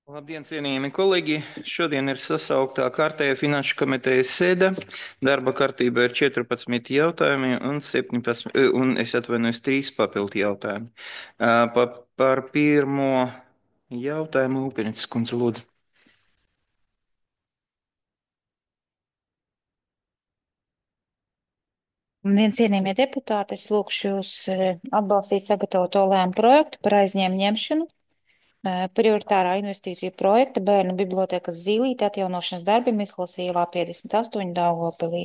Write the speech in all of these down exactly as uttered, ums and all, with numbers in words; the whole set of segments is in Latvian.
Labdien, cienījami kolēģi! Šodien ir sasauktā kārtējā finanšu komitejas sēde. Darba kārtībā ir četrpadsmit jautājumi un septiņpadsmit, eh, un es atvainojos, trīs papildu jautājumi. Ā, Pa, par pirmo jautājumu Upenicis kundze lūdzu. Labdien, cienījamie deputāti, es lūkšu jūs eh, atbalstīt sagatavoto lēmumu projektu par aizņēmu ņemšanu eh, prioritārā investīciju projekta bērnu bibliotēkas Zīlīte atjaunošanas darbi Mihlas ielā piecdesmit astoņi Daugavpilī.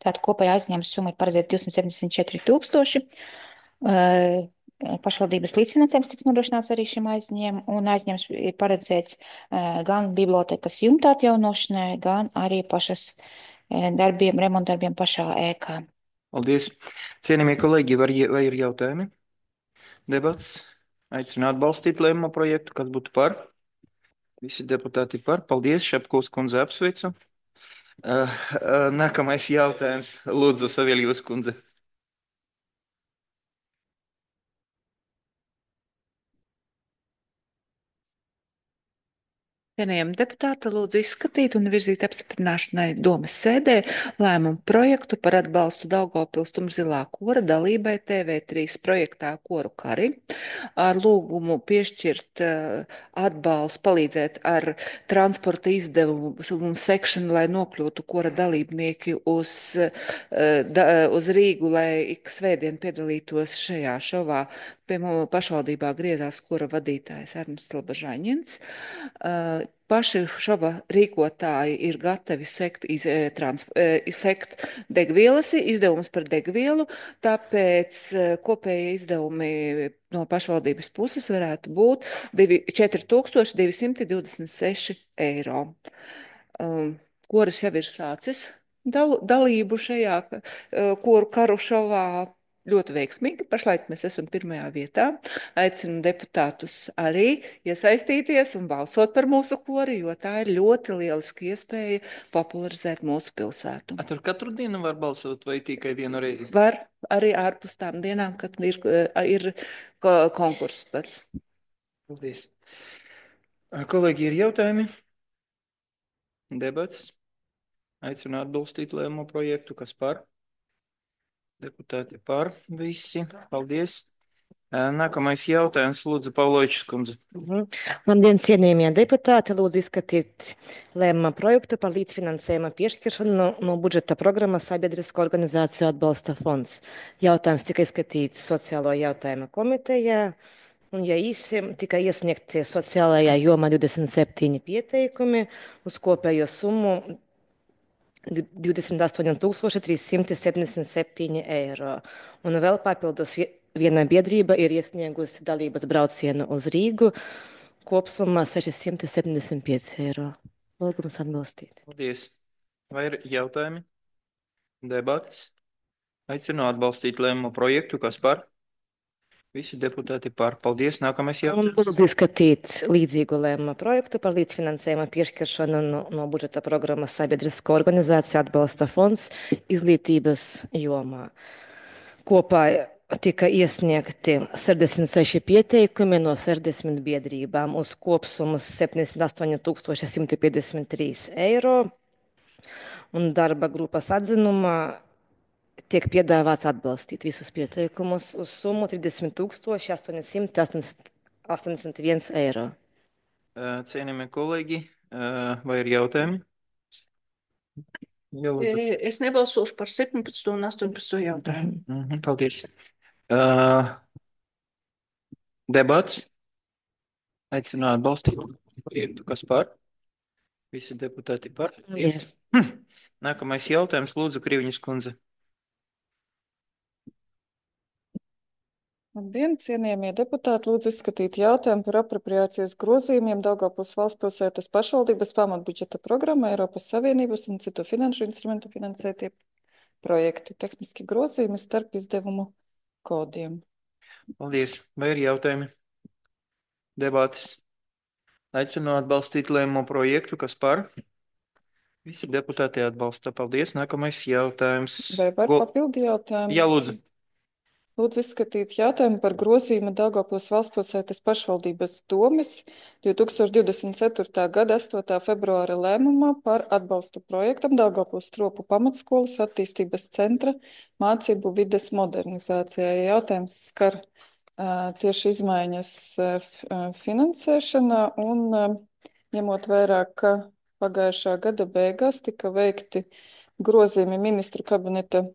Tātad kopējā aizņēmuma summa ir paredzēta divsimt septiņdesmit četri tūkstoši. Eh, Pašvaldības līdzfinansējums tiks nodrošināts arī šim aizņēmumam, un aizņēmums ir paredzēts eh, gan bibliotēkas jumta atjaunošanai, gan arī pašas eh, darbiem, remontdarbiem pašā ēkā. Paldies! Cienījamie kolēģi, var, vai ir jautājumi? Debats? Aicinu atbalstīt lēmumu projektu. Kas būtu par? Visi deputāti par. Paldies! Šepkovs kundze apsveicu. Ā, ā, Nākamais jautājums. Lūdzu, Saviļevas kundze. Cienījami deputāti, lūdzu izskatīt un virzīt apstiprināšanai domas sēdē lēmumu projektu par atbalstu Daugavpils Tumšzilā kora dalībai T V trīs projektā Koru kari ar lūgumu piešķirt uh, atbalstu, palīdzēt ar transporta izdevumu sekšanu, lai nokļūtu kora dalībnieki uz, uh, da, uz Rīgu, lai ik svētdien piedalītos šajā šovā. Pie mums pašvaldībā griezās kora vadītājs Ernsts Labažaņins. Uh, Paši šova rīkotāji ir gatavi sekt, iz, trans, sekt degvielas izdevumus par degvielu, tāpēc kopējie izdevumi no pašvaldības puses varētu būt četri tūkstoši divi simti divdesmit seši eiro. Um, Koris jau ir sācis dal, dalību šajā uh, koru karu šovā. Ļoti veiksmīgi. Pašlaik mēs esam pirmajā vietā. Aicinu deputātus arī iesaistīties un balsot par mūsu kori, jo tā ir ļoti lieliski iespēja popularizēt mūsu pilsētu. A, tur katru dienu var balsot vai tikai vienu reizi? Var arī ārpus tām dienām, kad ir, ir konkurss pats. Paldies. Kolēģi, ir jautājumi? Debats? Aicinu atbalstīt lēmumu projektu. Kas par? Deputāti par visi. Paldies. Nākamais jautājums, lūdzu, Pavlovičs kundze. Mhm. Labdien, cienījamie deputāti, lūdzu izskatīt lēmuma projektu par līdzfinansējuma piešķiršanu no, no budžeta programmas Sabiedrisko organizāciju atbalsta fonds. Jautājums tika izskatīts sociālo jautājumu komitejā, un, ja īsi, tika iesniegti sociālajā jomā divdesmit septiņi pieteikumi uz kopējo summu divdesmit astoņi tūkstoši trīs simti septiņdesmit septiņi eiro. Un vēl papildus viena biedrība ir iesniegusi dalības braucienu uz Rīgu kopsumā seši simti septiņdesmit pieci eiro. Lūgums atbalstīt. Paldies. Vai ir jautājumi? Debatas? Aicinu atbalstīt lēmumu projektu. Kas par? Visi deputāti par. Paldies. Nākamais Un jautājums. lūdzu izskatīt līdzīgu lēmumu projektu par līdzfinansējuma piešķiršanu no, no budžeta programmas Sabiedrisko organizāciju atbalsta fonds izglītības jomā. Kopā tika iesniegti sešdesmit seši pieteikumi no sešdesmit biedrībām uz kopsummu septiņdesmit astoņi tūkstoši simti piecdesmit trīs eiro. Un darba grupas atzinumā tiek piedāvāts atbalstīt visus pieteikumus uz summu trīsdesmit tūkstoši astoņi simti astoņdesmit viens eiro. Cienījamie kolēģi, vai ir jautājumi? Jā, lūdzu. Es nebalsošu par septiņpadsmito un astoņpadsmito jautājumu. Mhm, paldies. Uh, debats? Aicinu atbalstīt projektu. Kas par? Visi deputāti par. Yes. Nākamais jautājums, lūdzu, Kriviņas kundze. Labdien, cienījamie deputāti, lūdzu izskatīt jautājumu par apropriācijas grozījumiem Daugavpils valstspilsētas pašvaldības pamatbudžeta programma Eiropas Savienības un citu finanšu instrumentu finansētie projekti, tehniski grozījumi starp izdevumu kodiem. Paldies. Vai ir jautājumi? Debātis. Aicinu atbalstīt lēmumu projektu. Kas par? Visi deputāti atbalsta. Paldies. Nākamais jautājums. Vai var Go... papildi jautājumu? Jā, lūdzu. Lūdzu izskatīt jautājumu par grozījumu Daugavpils valstspilsētas pašvaldības domes divi tūkstoši divdesmit ceturtā gada astotā februāra lēmumā par atbalstu projektam Daugavpils Stropu pamatskolas attīstības centra mācību vides modernizācijai. Jautājums skar uh, tieši izmaiņas uh, finansēšanā un uh, ņemot vērā, ka pagājušā gada beigās tika veikti grozījumi ministru kabineta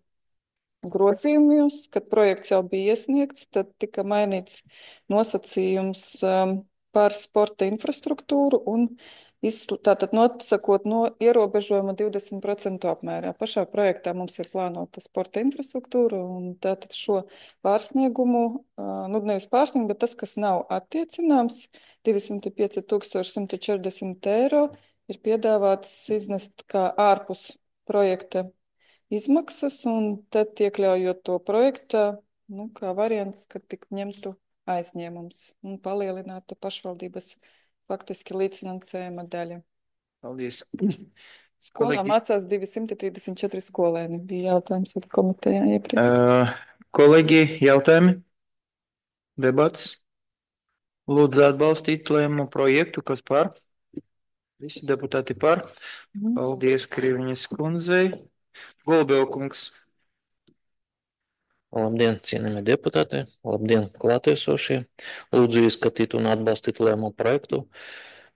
grozījumos, kad projekts jau bija iesniegts, tad tika mainīts nosacījums um, par sporta infrastruktūru un izsl- tātad nosakot no ierobežojuma divdesmit procentu apmērā. Pašā projektā mums ir plānota sporta infrastruktūra un tātad šo pārsniegumu, uh, nu nevis pārsniegumu, bet tas, kas nav attiecināms, divsimt pieci tūkstoši simt četrdesmit eiro, ir piedāvāts iznest kā ārpus projekta izmaksas, un tad iekļaujot to projektā, nu, kā variants, kad tik ņemtu aizņēmums un palielinātu pašvaldības faktiski līdzfinansējuma daļa. Paldies. Skolā Kolēģi, mācās divsimt trīsdesmit četri skolēni, bija jautājums ar komitejā iepriekš. uh, kolēģi, jautājumi? Debats? Lūdzu atbalstīt lēmumu projektu, kas par? Visi deputāti par. Mhm. Paldies Kriviņas kundzei. Golubevkungs. Labdien, cienījamie deputāti, labdien, klātesošie. Lūdzu izskatīt un atbalstīt lēmumu projektu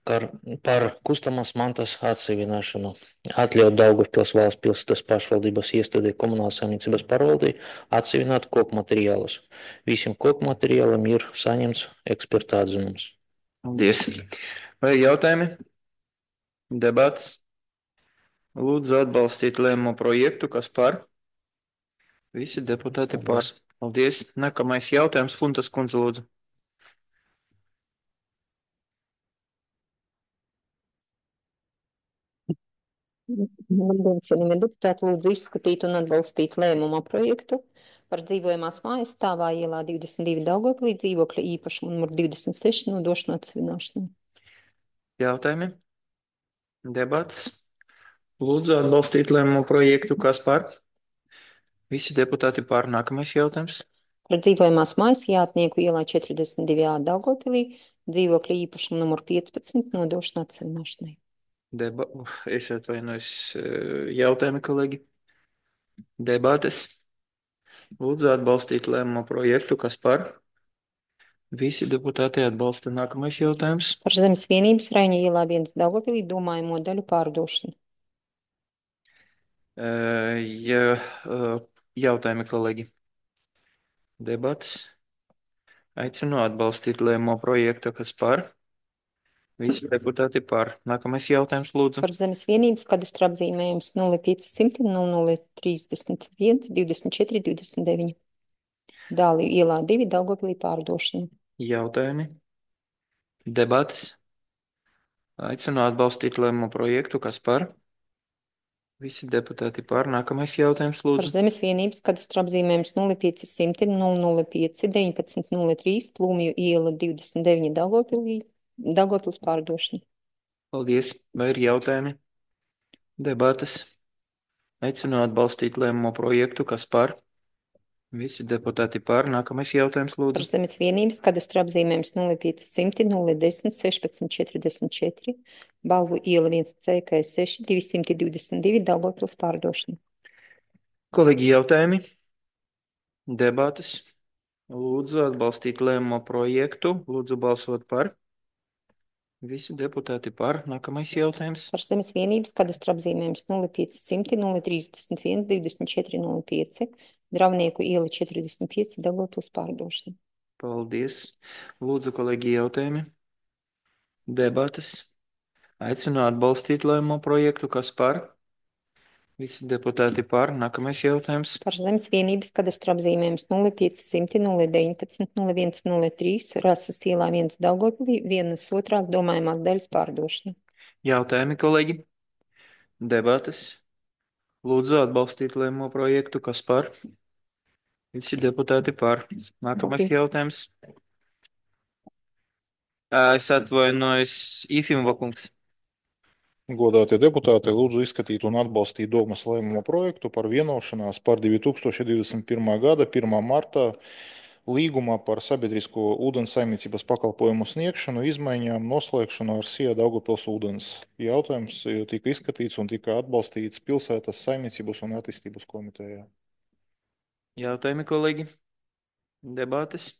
par, par kustamās mantas atseviināšanu. Atļaut Daugavpils valsts pilsētas pašvaldības iestādē komunālās saimniecības pārvaldei atsevināt koku materiālus. Visiem koku materiāliem ir saņemts eksperta atzinums. Paldies. Vai jautājumi? Debats? Lūdzu atbalstīt lēmumu projektu, kas par? Visi deputāti par. Paldies. Paldies. Nākamais jautājums, Funtas kundze, lūdzu. Labdien, cienījamie deputāti, lūdzu izskatīt un atbalstīt lēmuma projektu par dzīvojamās mājas stāvā ielā divdesmit divi Daugavpilī dzīvokļa īpašumu numur divdesmit seši nodošanu atsevināšanai. Jautājumi? Debats? Lūdzu atbalstīt lēmumu projektu, kas par? Visi deputāti par. Nākamais jautājums. Par dzīvojamās mājas Jātnieku ielā četrdesmit divi A Daugavpilī dzīvokļa īpašumu numur piecpadsmit nodošanu atsevināšanai. Deba... Es atvainojos. Jautājumi, kolēģi? Debates? Lūdzu atbalstīt lēmumu projektu, kas par? Visi deputāti atbalsta. Nākamais jautājums. Par zemes vienības Raiņa ielā viens Daugavpilī domājamo daļu pārdošanu. Uh, ja, uh, jautājumi, kolēģi? Debates? Aicinu atbalstīt lēmumu projektu, kas par? Visi deputāti par. Nākamais jautājums, lūdzu. Par zemes vienības kadastra apzīmējums nulle pieci simti nulle trīsdesmit viens divdesmit četri divdesmit deviņi. Dāli ielā divi Daugavpilī pārdošana. Jautājumi? Debates? Aicinu atbalstīt lēmumu projektu, kas par? Visi deputāti par. Nākamais jautājums, Par lūdzu. zemes vienības kadastra apzīmējums nulle pieci simti nulle pieci deviņpadsmit nulle trīs Plūmju iela divdesmit deviņi Daugavpilī, Daugavpils pārdošana. Paldies. Vai ir jautājumi? Debates? Aicinu atbalstīt lēmumu projektu, kas par? Visi deputāti par. Nākamais jautājums, Par lūdzu. zemes vienības kadastra apzīmējums nulle pieci simti nulle desmit sešpadsmit četrdesmit četri Balvu iela viens C K seši divsimt divdesmit divi Daugavpils pārdošana. Kolēģi, jautājumi? Debates? Lūdzu atbalstīt lēmumu projektu. Lūdzu balsot par. Visi deputāti par. Nākamais jautājums. Par zemes vienības kadastra apzīmējums nulle pieci simti nulle trīsdesmit viens divdesmit četri nulle pieci Dravnieku iela četrdesmit pieci Daugavpils pārdošana. Paldies. Lūdzu, kolēģi, jautājumi? Debates? Aicinu atbalstīt lēmumu projektu, kas par? Visi deputāti par. Nākamais jautājums. Par zemes vienības kadastra apzīmējums nulle pieci simti nulle deviņpadsmit nulle viens nulle trīs Rases ielā viens Daugavpilī vienas otrās domājamās daļas pārdošana. Jautājumi, kolēģi? Debates? Lūdzu atbalstīt lēmumu projektu, kas par? Visi deputāti par. Nākamais Paldies. jautājums. Ā, Es atvainojos, Ifimova kungs. Godātie deputāti, lūdzu izskatīt un atbalstīt Domas lēmuma projektu par vienošanās par divi tūkstoši divdesmit pirmā gada pirmā martā līgumā par sabiedrisko ūdens saimniecības pakalpojumu sniegšanu izmaiņām noslēgšanu ar SIA Daugavpils ūdens. Jautājums tika izskatīts un tika atbalstīts pilsētas saimniecības un attīstības komitejā. Jautājumi, kolēģi? Debates?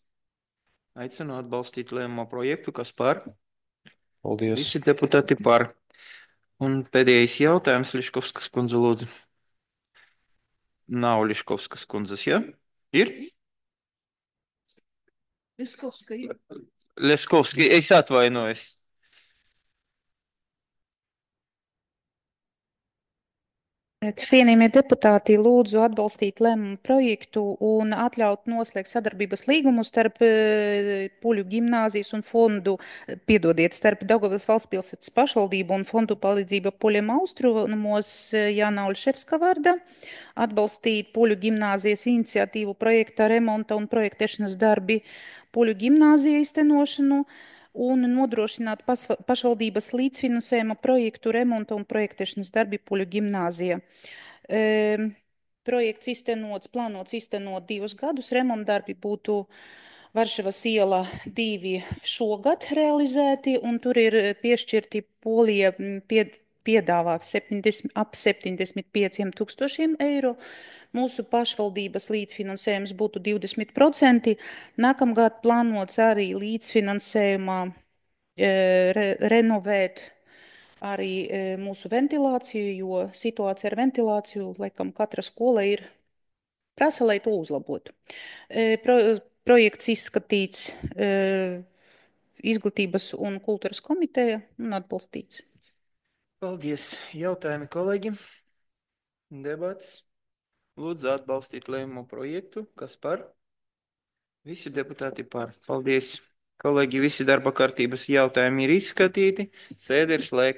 Aicinu atbalstīt lēmumu projektu, kas par? Paldies. Visi deputāti par. Un pēdējais jautājums, Liškovskas kundze, lūdzu. Nav Liškovskas kundzes, ja? Ir? Liskovska ir. Liškovski, es atvainojos. Cienījamie deputāti, lūdzu atbalstīt lēmumu projektu un atļaut noslēgt sadarbības līgumu starp eh, Puļu gimnāzijas un fondu, eh, piedodiet, starp Daugavas valsts pilsētas pašvaldību un fondu palīdzība Puļiem austrumos eh, Jāna Olševska vārdā, atbalstīt Puļu gimnāzijas iniciatīvu projekta remonta un projektēšanas darbi Puļu gimnāzija iztenošanu un nodrošināt pasva- pašvaldības līdzfinansējuma projektu remonta un projektēšanas darbi Puļu gimnāzija. Ehm, Projekts iztenots, plānots iztenot divus gadus. Remontdarbi būtu Varšavas iela divi šogad realizēti, un tur ir piešķirti Polija m, pie, piedāvā septiņdesmit, ap septiņdesmit pieciem tūkstošiem eiro. Mūsu pašvaldības līdzfinansējums būtu divdesmit procenti. Nākamgad plānots arī līdzfinansējumā e, re, renovēt arī e, mūsu ventilāciju, jo situācija ar ventilāciju, laikam, katra skola ir prasa, lai to uzlabotu. E, pro, projekts izskatīts e, Izglītības un kultūras komiteja un atbalstīts. Paldies. Jautājumi, kolēģi? Debates? Lūdzu atbalstīt lēmumu projektu, kas par? Visi deputāti par. Paldies. Kolēģi, visi darba kārtības jautājumi ir izskatīti. Sēde ir slēgta.